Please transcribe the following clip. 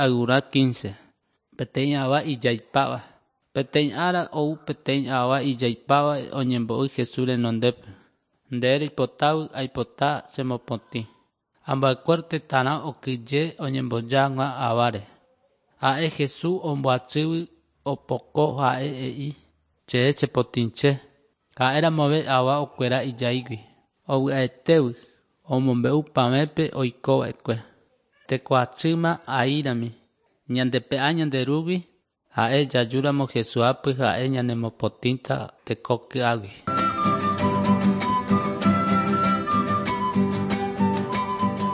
Ayvurã 15. Peteĩ ava ijaipáva. Peteĩ ára ou peteĩ ava ijaipáva oñembo'y Jesús renondépe. Nde reipotágui aipota chemopotĩ. Ambuekuéra tetãrã okyhyje oñemboja hag̃ua aváre. Ha'e Jesús omboatsýgui opoko ha'e he'i che chepotĩche. Ha'eramove ava okuera ijaígui. Ovy'aetégui omombe'u pavẽpe oikova'ekue. Tekoatsýma aírami. Ñandepe'a ñande Rúgui ha'e jajúramo Jesús ápy ha'e ñanemopotĩta teko ky'águi.